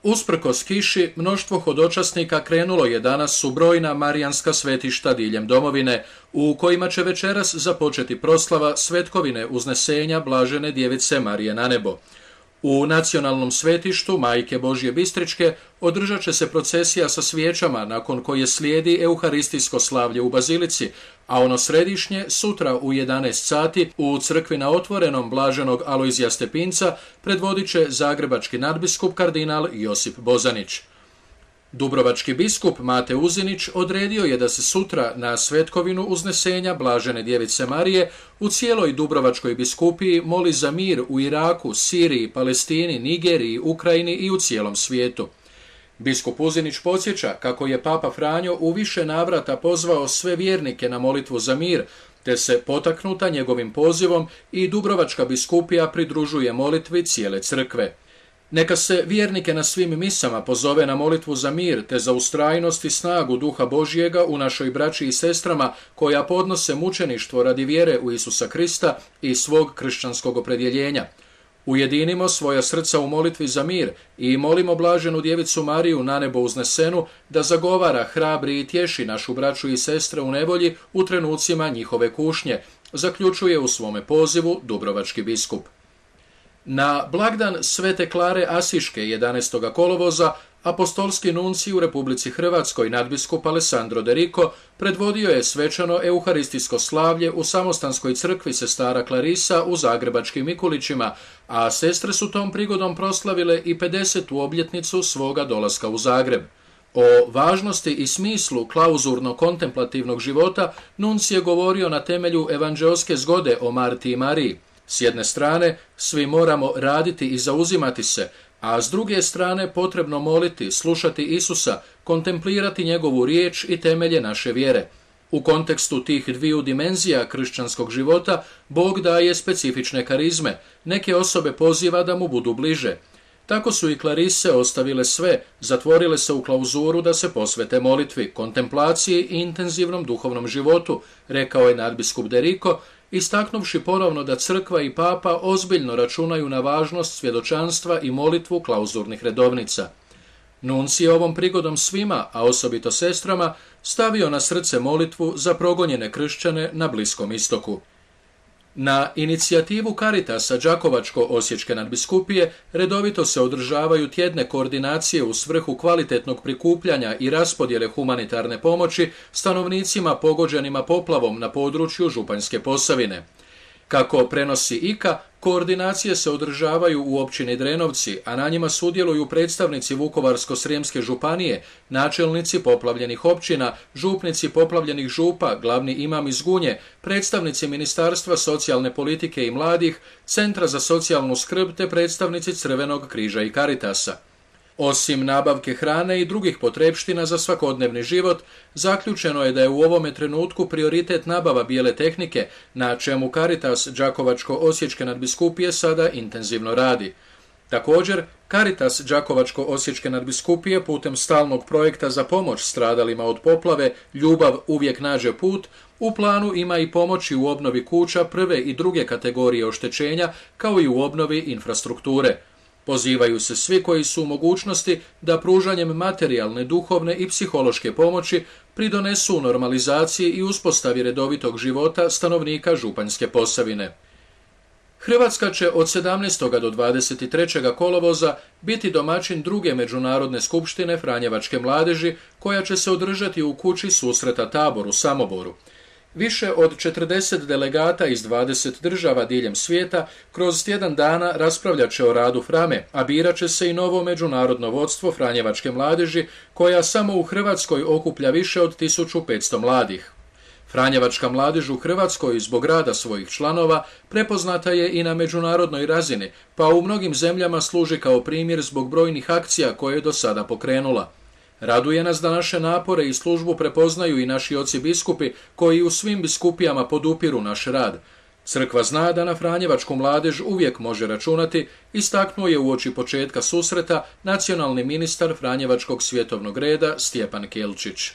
Usprkos kiši, mnoštvo hodočasnika krenulo je danas u brojna marijanska svetišta diljem domovine, u kojima će večeras započeti proslava svetkovine uznesenja Blažene djevice Marije na nebo. U nacionalnom svetištu Majke Božje Bistričke održat će se procesija sa svijećama, nakon koje slijedi euharistijsko slavlje u bazilici, a ono središnje sutra u 11 sati u crkvi na otvorenom Blaženog Alojzija Stepinca predvodit će zagrebački nadbiskup kardinal Josip Bozanić. Dubrovački biskup Mate Uzinić odredio je da se sutra na svetkovinu uznesenja Blažene djevice Marije u cijeloj Dubrovačkoj biskupiji moli za mir u Iraku, Siriji, Palestini, Nigeriji, Ukrajini i u cijelom svijetu. Biskup Uzinić podsjeća kako je Papa Franjo u više navrata pozvao sve vjernike na molitvu za mir, te se potaknuta njegovim pozivom i Dubrovačka biskupija pridružuje molitvi cijele crkve. Neka se vjernike na svim misama pozove na molitvu za mir te za ustrajnost i snagu Duha Božjega u našoj braći i sestrama koja podnose mučeništvo radi vjere u Isusa Krista i svog kršćanskog opredjeljenja. Ujedinimo svoja srca u molitvi za mir i molimo Blaženu djevicu Mariju na nebo uznesenu da zagovara, hrabri i tješi našu braću i sestre u nevolji u trenucima njihove kušnje, zaključuje u svome pozivu dubrovački biskup. Na blagdan Svete Klare Asiške 11. kolovoza apostolski nuncij u Republici Hrvatskoj nadbiskup Alessandro De Rico predvodio je svečano euharistijsko slavlje u samostanskoj crkvi sestara Klarisa u zagrebačkim Mikulićima, a sestre su tom prigodom proslavile i 50. obljetnicu svoga dolaska u Zagreb. O važnosti i smislu klauzurno-kontemplativnog života nuncij je govorio na temelju evanđeoske zgode o Marti i Mariji. S jedne strane, svi moramo raditi i zauzimati se, a s druge strane potrebno moliti, slušati Isusa, kontemplirati njegovu riječ i temelje naše vjere. U kontekstu tih dviju dimenzija kršćanskog života, Bog daje specifične karizme, neke osobe poziva da mu budu bliže. Tako su i Klarise ostavile sve, zatvorile se u klauzuru da se posvete molitvi, kontemplaciji i intenzivnom duhovnom životu, rekao je nadbiskup De Rico, istaknuvši ponovno da crkva i papa ozbiljno računaju na važnost svjedočanstva i molitvu klauzurnih redovnica. Nuncij je ovom prigodom svima, a osobito sestrama, stavio na srce molitvu za progonjene kršćane na Bliskom istoku. Na inicijativu Caritasa Đakovačko-osječke nadbiskupije redovito se održavaju tjedne koordinacije u svrhu kvalitetnog prikupljanja i raspodjele humanitarne pomoći stanovnicima pogođenima poplavom na području Županjske Posavine. Kako prenosi IKA, koordinacije se održavaju u općini Drenovci, a na njima sudjeluju predstavnici Vukovarsko-srijemske županije, načelnici poplavljenih općina, župnici poplavljenih župa, glavni imam iz Gunje, predstavnici Ministarstva socijalne politike i mladih, Centra za socijalnu skrb te predstavnici Crvenog križa i Caritasa. Osim nabavke hrane i drugih potrepština za svakodnevni život, zaključeno je da je u ovome trenutku prioritet nabava bijele tehnike, na čemu Caritas Đakovačko-osječke nadbiskupije sada intenzivno radi. Također, Caritas Đakovačko-osječke nadbiskupije putem stalnog projekta za pomoć stradalima od poplave Ljubav uvijek nađe put, u planu ima i pomoći u obnovi kuća prve i druge kategorije oštećenja, kao i u obnovi infrastrukture. Pozivaju se svi koji su u mogućnosti da pružanjem materijalne, duhovne i psihološke pomoći pridonesu normalizaciji i uspostavi redovitog života stanovnika Županjske Posavine. Hrvatska će od 17. do 23. kolovoza biti domaćin druge međunarodne skupštine Franjevačke mladeži, koja će se održati u kući susreta Tabor u Samoboru. Više od 40 delegata iz 20 država diljem svijeta kroz tjedan dana raspravljat će o radu Frame, a birat će se i novo međunarodno vodstvo Franjevačke mladeži, koja samo u Hrvatskoj okuplja više od 1500 mladih. Franjevačka mladež u Hrvatskoj zbog rada svojih članova prepoznata je i na međunarodnoj razini, pa u mnogim zemljama služi kao primjer zbog brojnih akcija koje je do sada pokrenula. Raduje nas da naše napore i službu prepoznaju i naši oci biskupi koji u svim biskupijama podupiru naš rad. Crkva zna da na Franjevačku mladež uvijek može računati, istaknuo je uoči početka susreta nacionalni ministar Franjevačkog svjetovnog reda Stjepan Kelčić.